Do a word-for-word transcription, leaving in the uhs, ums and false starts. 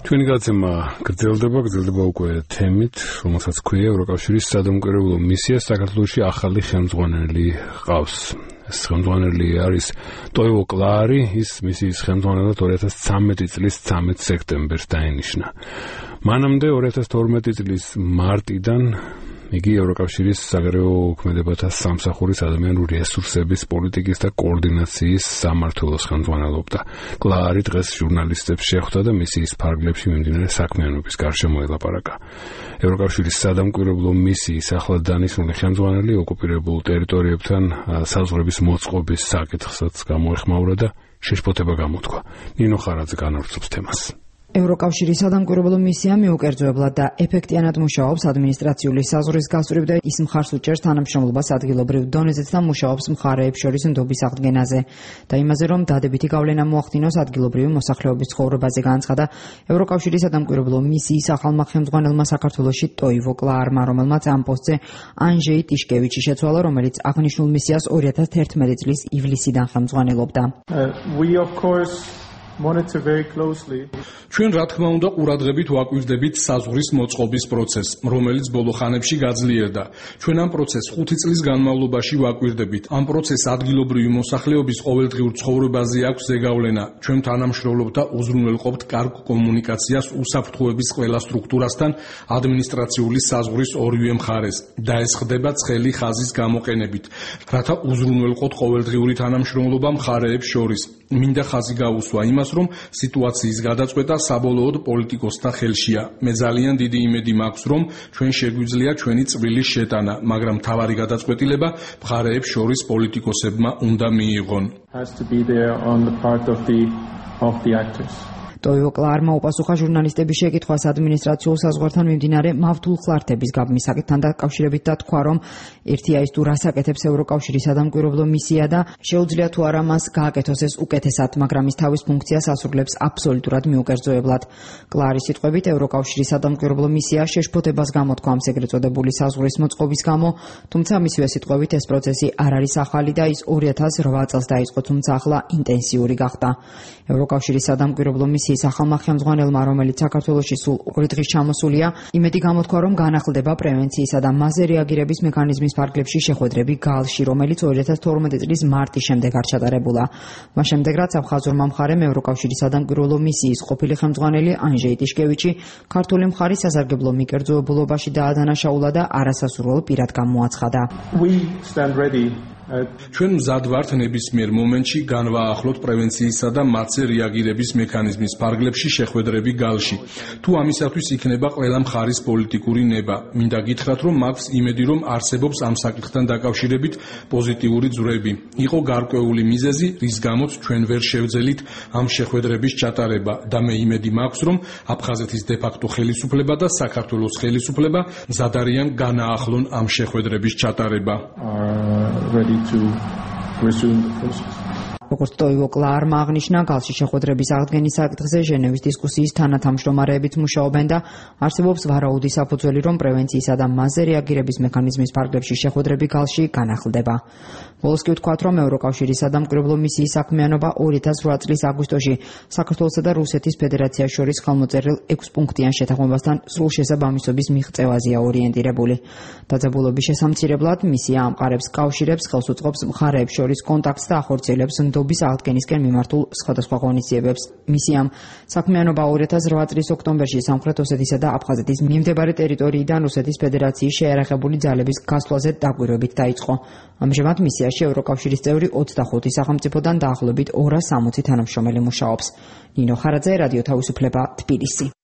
ჩვენი გაცემა გრძელდება, გრძელდება უკვე თემით, რომელსაც ქვია ევროკავშირის სადამკვირვებლო მისია საქართველოში ახალი ხელმძღვანელი ყავს. ეს ხელმძღვანელი არის ტოივო კლარი, ის მისიის ხელმძღვანელად ორი ათას ცხრამეტი წლის ცამეტ სექტემბერს დაინიშნა. მანამდე ორი ათას თორმეტი წლის მარტიდან იგი ევროკავშირის საგარეო ქმედებათა სამსახურის ადამიანური რესურსების პოლიტიკის და კოორდინაციის სამმართველოს ხელმძღვანელობდა. კლარი დღეს ჟურნალისტებს შეხვდა და მისიის ფარგლებში მიმდინარე საქმიანობის გარშემო ელაპარაკა. ევროკავშირის სადამკვირვებლო მისიის ახლად დანიშნული ხელმძღვანელი ოკუპირებულ ტერიტორიებთან საზღვრების მოწყობის საკითხსაც გამოეხმაურა და შეშფოთება გამოთქვა. ნინო ხარაძე განავრცობს თემას. ევროკავშირის სადამკვირვებლო მისია მიუკერძოებლად და ეფექტიანად მუშაობს ადმინისტრაციული საზღვრის გასწვრივ და ის მხარს უჭერს თანამშრომლობას ადგილობრივ დონეზეც და მუშაობს მხარეებს შორის ნდობის აღდგენაზე და იმაზე, რომ დადებითი გავლენა მოახდინოს ადგილობრივი მოსახლეობის ცხოვრებაზე, განაცხადა ევროკავშირის სადამკვირვებლო მისიის ახალმა ხელმძღვანელმა საქართველოში ტოივო კლარმა, რომელმაც ამ პოსტზე ანჟეი ტიშკევიჩი შეცვალა, რომელიც აღნიშნულ მისიას ორი ათას თერთმეტი წლის ივლისიდან ხელმძღვანელობდა. ჩვენ რა თქმა უნდა ყურადღებით ვაკვირდებით საზღვრის მოწყობის პროცესს, რომელიც ბოლო ხანებში გაძლიერდა. ჩვენ ამ პროცესს ხუთი წლის განმავლობაში ვაკვირდებით. ამ პროცესს ადგილობრივი მოსახლეობის ყოველდღიურ ცხოვრებაზე აქვს ზეგავლენა. ჩვენ თანამშრომლობთ და უზრუნველყოფთ კარგ კომუნიკაციას უსაფრთხოების ყველა სტრუქტურასთან ადმინისტრაციული საზღვრის ორივე მხარეს და ეს ხდება ცხელი ხაზის გამოყენებით, რათა უზრუნველყოთ ყოველდღიური თანამშრომლობა მხარეებს შორის. მინდა ხაზი გაუსვა იმას, რომ სიტუაციის გადაწყვეტა საბოლოოდ პოლიტიკოსთა ხელშია. მე ძალიან დიდი იმედი მაქვს, რომ ჩვენ შეგვიძლია ჩვენი წვრილი შეტანა, მაგრამ მთავარი გადაწყვეტილება მხარეებს შორის პოლიტიკოსებმა უნდა მიიღონ. ტოივო კლარმა უპასუხა ჟურნალისტების შეკითხვას ადმინისტრაციულ საზღვართან მიმდინარე მავთულ ხლართების გაბმის საკითხთან დაკავშირებით და თქვა, რომ ერთია ის თუ რას აკეთებს ევროკავშირის სადამკვირვებლო მისია და შეუძლია თუ არა მას გააკეთოს ეს უკეთესად, მაგრამ ის თავის ფუნქციას ასრულებს აბსოლუტურად მიუკერძოებლად. კლარის სიტყვებით, ევროკავშირის სადამკვირვებლო მისია შეშფოთებას გამოთქვა ამ ეგრეთ წოდებული საზღვრის მოწყობის გამო, თუმცა მისივე სიტყვებით ეს პროცესი არ არის ახალი და ის ორი ათას რვა წელს დაიწყო, თუმცა ახლა ინტენსიური გახდა. ევროკავშირის სადამკვირვებლო მისია ის ახალმა ხელმძღვანელმა, რომელიც საქართველოში სულ ორი დღის ჩამოსულია, იმედი გამოთქვა, რომ განახლდება პრევენციისა და მასზე რეაგირების მექანიზმის ფარგლებში შეხვედრები გალში, რომელიც ორი ათას თორმეტი წლის მარტის შემდეგ არ ჩატარებულა. მას შემდეგ, რაც აფხაზურმა მხარემ ევროკავშირის სადამკვირვებლო მისიის ყოფილი ხელმძღვანელი ანჟეი ტიშკევიჩი ქართული მხარის სასარგებლო მიკერძოებულობაში დაადანაშაულა და არასასურველ პირად გამოაცხადა. ჩვენ მზად ვართ ნებისმიერ მომენტში განვაახლოთ პრევენციისა და მასზე რეაგირების მექანიზმის ფარგლებში შეხვედრები გალში. თუ ამისათვის იქნება ყველა მხარის პოლიტიკური ნება, მინდა გითხრათ, რომ მაქვს იმედი, რომ არსებობს ამ საკითხთან დაკავშირებით პოზიტიური ძვრები. იყო გარკვეული მიზეზი, რის გამოც ჩვენ ვერ შევძელით ამ შეხვედრების ჩატარება და მე იმედი მაქვს, რომ აფხაზეთის დე-ფაქტო ხელისუფლება და საქართველოს ხელისუფლება მზად არიან განაახლონ ამ შეხვედრების ჩატარება. to resume the process. როგორც ტოივო კლარმა აღნიშნა, გალში შეხვედრების აღდგენის საკითხზე ჟენევის დისკუსიის თანათამშრომარეებით მუშაობენ და არსებობს ვარაუდი საფუძველი, რომ პრევენციისა და მასზე რეაგირების მექანიზმის ფარგლებში შეხვედრები გალში განახლდება. ბოლოს კი ვთქვათ, რომ ევროკავშირის სადამკვირვებლო მისიის საქმიანობა ორი ათას რვა წლის აგვისტოში საქართველოსა და რუსეთის ფედერაციას შორის ხელმოწერილ ექვსპუნქტიან შეთანხმებასთან სრულ შესაბამისობის მიღწევაზეა ორიენტირებული. დაძაბულობის შესამცირებლად მისია ამყარებს კავშირებს, ხელს უწყობს მხარეებს შორის კონტაქტს და ახორციელებს ნდობის აღდგენისკენ მიმართულ სხვადასხვა ღონისძიებებს. მისიამ საქმიანობა ორი ათას რვა წლის ოქტომბერში სამხრეთ ოსეთისა და აფხაზეთის მიმდებარე ტერიტორიიდან რუსეთის ფედერაციის შეიარაღებული ძალების გასვლაზე დაკვირვებით დაიწყო. ამჟამად მისიაში ევროკავშირის წევრი ოცდახუთი სახელმწიფოდან დაახლოებით ორასი სამოცი თანამშრომელი მუშაობს. ნინო ხარაძე, რადიო თავისუფლება, თბილისი.